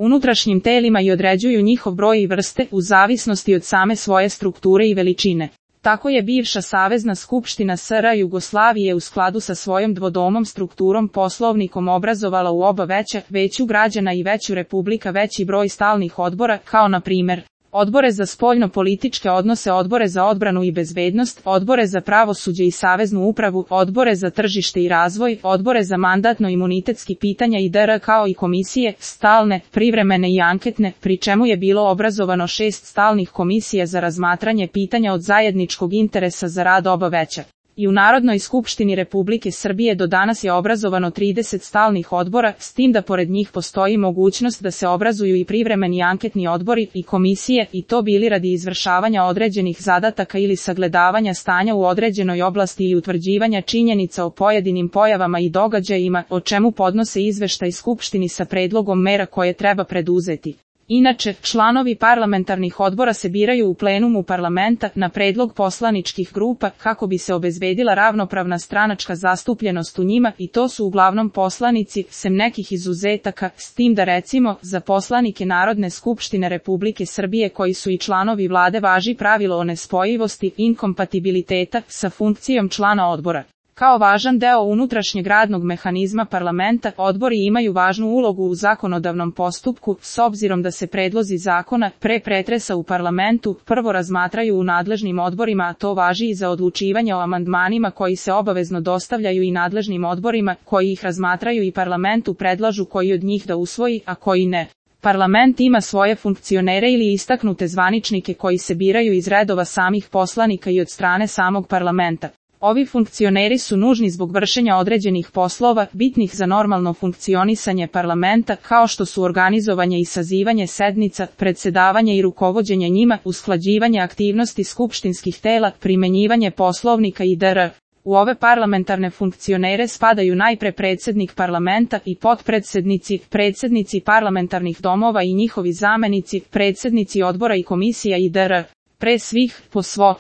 unutrašnjim telima i određuju njihov broj i vrste u zavisnosti od same svoje strukture i veličine. Tako je bivša Savezna skupština SR Jugoslavije u skladu sa svojom dvodomom strukturom poslovnikom obrazovala u oba veću građana i veću republika veći broj stalnih odbora, kao na primer odbore za spoljno-političke odnose, odbore za odbranu i bezbednost, odbore za pravosuđe i saveznu upravu, odbore za tržište i razvoj, odbore za mandatno-imunitetski pitanja i dr. kao i komisije, stalne, privremene i anketne, pri čemu je bilo obrazovano 6 stalnih komisija za razmatranje pitanja od zajedničkog interesa za rad oba veća. I u Narodnoj skupštini Republike Srbije do danas je obrazovano 30 stalnih odbora, s tim da pored njih postoji mogućnost da se obrazuju i privremeni anketni odbori i komisije, i to bili radi izvršavanja određenih zadataka ili sagledavanja stanja u određenoj oblasti i utvrđivanja činjenica o pojedinim pojavama i događajima, o čemu podnose izveštaj Skupštini sa predlogom mera koje treba preduzeti. Inače, članovi parlamentarnih odbora se biraju u plenumu parlamenta na predlog poslaničkih grupa kako bi se obezbedila ravnopravna stranačka zastupljenost u njima, i to su uglavnom poslanici, sem nekih izuzetaka, s tim da recimo za poslanike Narodne skupštine Republike Srbije koji su i članovi vlade važi pravilo o nespojivosti inkompatibiliteta sa funkcijom člana odbora. Kao važan deo unutrašnjeg radnog mehanizma parlamenta, odbori imaju važnu ulogu u zakonodavnom postupku, s obzirom da se predlozi zakona, pre pretresa u parlamentu, prvo razmatraju u nadležnim odborima, a to važi i za odlučivanje o amandmanima koji se obavezno dostavljaju i nadležnim odborima, koji ih razmatraju i parlamentu predlažu koji od njih da usvoji, a koji ne. Parlament ima svoje funkcionere ili istaknute zvaničnike koji se biraju iz redova samih poslanika i od strane samog parlamenta. Ovi funkcioneri su nužni zbog vršenja određenih poslova, bitnih za normalno funkcionisanje parlamenta, kao što su organizovanje i sazivanje sednica, predsedavanje i rukovođenje njima, usklađivanje aktivnosti skupštinskih tela, primenjivanje poslovnika i dr. U ove parlamentarne funkcionere spadaju najpre predsjednik parlamenta i potpredsednici, predsjednici parlamentarnih domova i njihovi zamenici, predsjednici odbora i komisija i dr. Pre svih, po svo